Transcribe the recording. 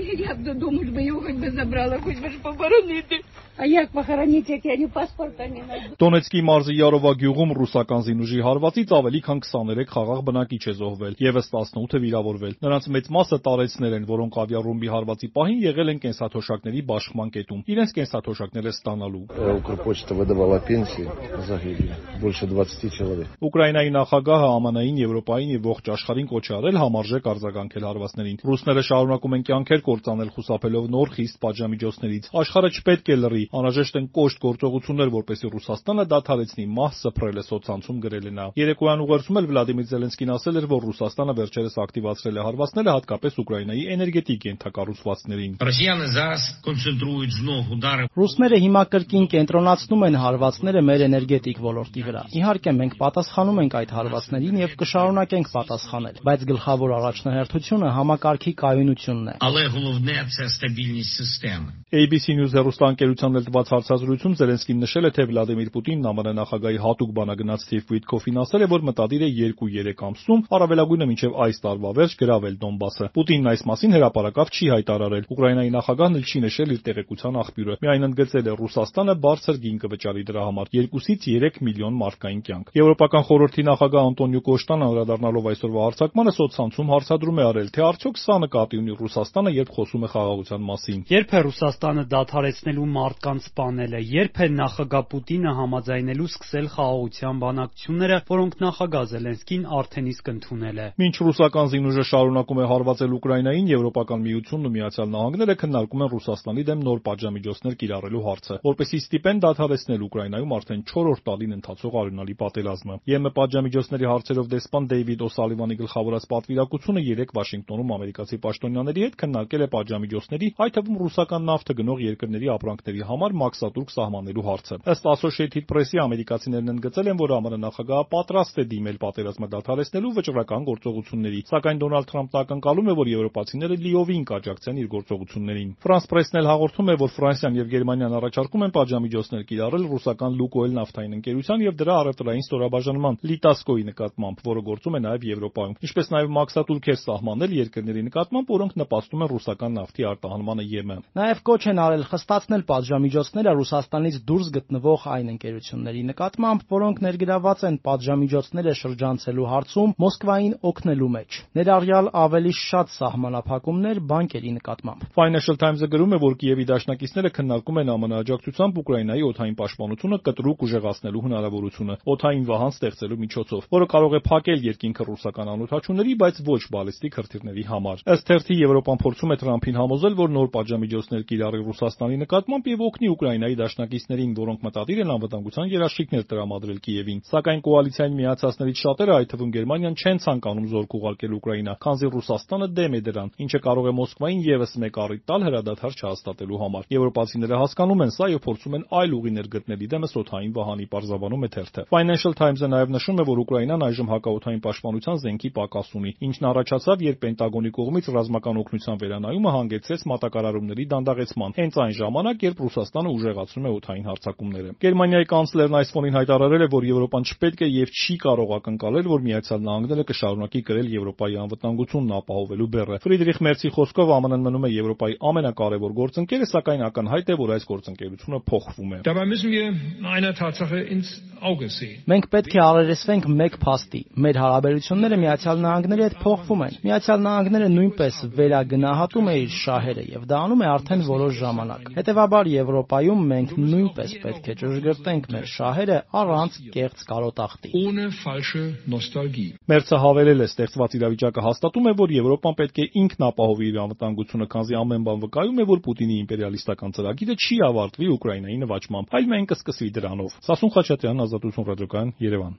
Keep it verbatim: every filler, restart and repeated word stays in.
Я бы думаю, бы его хоть бы забрала, хоть бы похоронить. А як похоронить, як я ни паспорта не найду. Դոնեցկի մարզի Յարովա գյուղում ռուսական զինուժի հարվածից ավելի քան քսաներեք խաղաղ բնակիչ է զոհվել, եւս տասնութը վիրավորվել։ Նրանց մեծ մասը տարեցներ են, որոնք ավիառումբի հարվածի պահին եղել են կենսաթոշակների բաշխման կետում, իրենց կենսաթոշակները ստանալու։ Укрпочта выдавала пенсии, загибли больше двадцати человек։ Ուկրաինայի նախագահը ԱՄՆ-ին, Եվրոպային եւ ողջ աշխարհին կոչ է արել համարժեք արձագանքել հարվածներին։ Ռուսները շարունակում են կյանքեր կործանել խուսափելով նոր խիստ պատժամիջոցներից։ Աշխարհը չպետք է լռի, անհրաժեշտ են կոշտ գործողություններ, որպեսզի Ռուսաստանը դադարեցնի մահ սփռել է սոցցանցում գրել է նա։ Երեկոյան ուղերձում էլ Վլադիմիր Զելենսկին ասել էր, որ Ռուսաստանը վերջերս ակտիվացրել է հարվածները հատկապես Ուկրաինայի էներգետիկ ենթակառուցվածքներին։ Ռուսները հիմա կրկին կենտրոնացնում են հարվածները մեր էներգետիկ ոլորտի վրա։ Իհարկե մենք պատասխանում ենք այդ հարվածներին եւ կշարունակենք պատասխանել, բայց գլխավոր առաջնահերթությունը համակարգի կայունությունն է։ A B C News հեռուստաընկերությանն էլ տված հարցազրույցում Զելենսկին նշել է, թե Վլադիմիր Պուտինն ԱՄՆ նախագահի հատուկ բանագնաց Սթիվ Ուիթքոֆին ասել է, որ մտադիր է երկու-երեք ամսում, առավելագույնը մինչև այս տարվա վերջ գրավել Դոնբասը։ Պուտինն այս մասին հրապարակավ չի հայտարարել։ Ուկրաինայի նախագահն էլ չի նշել իր տեղեկության աղբյուրը։ Միայն ընդգծել է Ռուսաստանը բարձր գին կվճարի դրա համար երկուսից երեք միլիոն մարդկային կյանք։ Եվրոպական խորհրդի նախագահ Անտոնիո Կոշտան անդրադառնալով այսօրվա հարցակմանը սոցցանցում հարցադրում է արել, թե արդյոք սա նկատի ունի Ռուսաստանը, երբ խոսում է խաղաղության մասին։ Երբ է Ռուսաստանը դադարեցնելու մարդկանց սպանելը, երբ է նախագահ Պուտինը համաձայնելու սկսել խաղաղության բանակցությունները, որոնք նախագահ Զելենսկին արդեն իսկ ընդունել է։ Մինչ ռուսական զինուժը շարունակում է հարվածել Ուկրաինային, Եվրոպական միությունն ու Միացյալ Նահանգները քննարկում են Ռուսաստանի դեմ նոր պատժամիջոցներ կիրառելու հարցը, որպեսզի ստիպեն դադարեցնել Ուկրաինայում արդեն չորրորդ տարին ընթացող արյունալի պատերազմը։ ԵՄ պատժամիջոցների հարցերով դեսպան Դեյվիդ Օ'Սալիվանի գլխավորած պատվիրակությունը երեկ Վաշինգտոնում ամերիկացի պաշտոնյաների հետ քննարկել է պատժամիջոցների, այդ թվում ռուսական նավթը գնող երկրների ապրանքների համար մաքսատուրք սահմանելու հարցը։ Ըստ Associated Press-ի ամերիկացիներն ընդգծել են, որ ԱՄՆ նախագահը պատրաստ է դիմել պատերազմը դադարեցնելու վճռական գործողությունների, սակայն Դոնալդ Թրամփն ակնկալում է, որ եվրոպացիները լիովին կաջակցեն իր գործողություններին։ France Press-ն էլ հաղորդում է, որ Ֆրանսիան եւ Գերմանիան առաջարկում են պատժամիջոցներ կիրառել ռուսական Լուկոյլ նավթային ընկերության եւ դրա առևտրային ստորաբաժանման Լիտասկոյի նկատմամբ, որը գործում է նաեւ Եվրոպայում, ինչպես նաեւ մաքսատուրքեր սահմանել երկրների նկատմամբ, որոնք նպաստում են ռուսական նավթի արտահանմանը ԵՄ։ Նաեւ կոչ են արել խստացնել պատժամիջոցները Ռուսաստանից դուրս գտնվող այն ընկերությունների նկատմամբ, որոնք ներգրաված են պատժամիջոցները շրջանցելու հարցում Մոսկվային օգնելու մեջ, ներառյալ ավելի շատ սահմանափակումներ բանկերի նկատմամբ։ Financial Times-ը գրում է, որ Կիևի դաշնակիցները քննարկում են ԱՄՆ աջակցությամբ Ուկրաինայի օդային պաշտպանությունը կտրուկ ուժեղացնելու հնարավորությունը օդային վահան ստեղծելու միջոցով, որը կարող է փակել երկինքը ռուսական անօդաչուների, բայց ոչ բալիստիկ հրթիռների համար։ Ըստ թերթի Եվրոպան փորձում է Թրամփին համոզել, որ նոր պատժամիջոցներ կիրառի Ռուսաստանի նկատմամբ եւ օգնի Ուկրաինայի դաշնակիցներին, որոնք մտադիր են անվտանգության երաշխիքներ տրամադրել Կիևին։ Սակայն կոալիցիային միացածներից շատերը, այդ թվում Գերմանիան, չեն ցանկանում զորք ուղարկել Ուկրաինա, քանզի Ռուսաստանը դեմ է դրան, ինչը կարող է Մոսկվային եւս մեկ առիթ տալ հրադադար չհաստատելու համար։ Եվրոպացիները հասկանում են սա եւ փորձում են այլ ուղիներ գտնել դեմս օդային վահանի, պարզաբանում է թերթը։ Financial Times-ը նաեւ նշում է, որ Ուկրաինան այժմ հակաօդային պաշտպանության զենքի պակաս ունի, ինչն առաջացավ, երբ Պենտագոնի կողմից ռազմական օգնության վերանայումը հանգեցրեց մատակարարումների դանդաղեցման, հենց այն ժամանակ, երբ Ռուսաստանը ուժեղացնում է օդային հարձակումները։ Գերմանիայի կանցլերն այս ֆոնին հայտարարել է, որ Եվրոպան չպետք է եւ չի կարող ակնկալել, որ Միացյալ Նահանգները կշարունակի կրել Եվրոպայի անվտանգությունն ապահովելու բեռը։ Ֆրիդրիխ Մերցի խոսքով ԱՄՆ-ն մնում է Եվրոպայի ամենակարևոր գործընկերը, սակայն ակնհայտ է, որ այս գործընկերությունը փոխվում է։ Մենք պետք է առերեսվենք մեկ փաստի։ Մեր հարաբերությունները Միացյալ Նահանգների հետ փոխվում են։ Միացյալ Նահանգները նույնպես վերագնահատում է իր շահերը եւ դա անում է արդեն որոշ ժամանակ։ Հետևաբար Եվրոպայում մենք նույնպես պետք է ճշգրտենք մեր շահերը առանց կեղծ կարոտախտի։ Մերցը հավելել է, ստեղծված իրավիճակը հաստատում է, որ Եվրոպան պետք է ինքն ապահովի իր անվտանգությունը, քանզի ամեն բան վկայում է, որ Պուտինի իմպերիալիստական ծրագիրը չի ավարտվի Ուկրաինայի նվաճմամբ, այլ մենք կսկսվի դրանով։ Սասուն Խաչատրյան, Ազատություն ռադիոկայան, Երևան։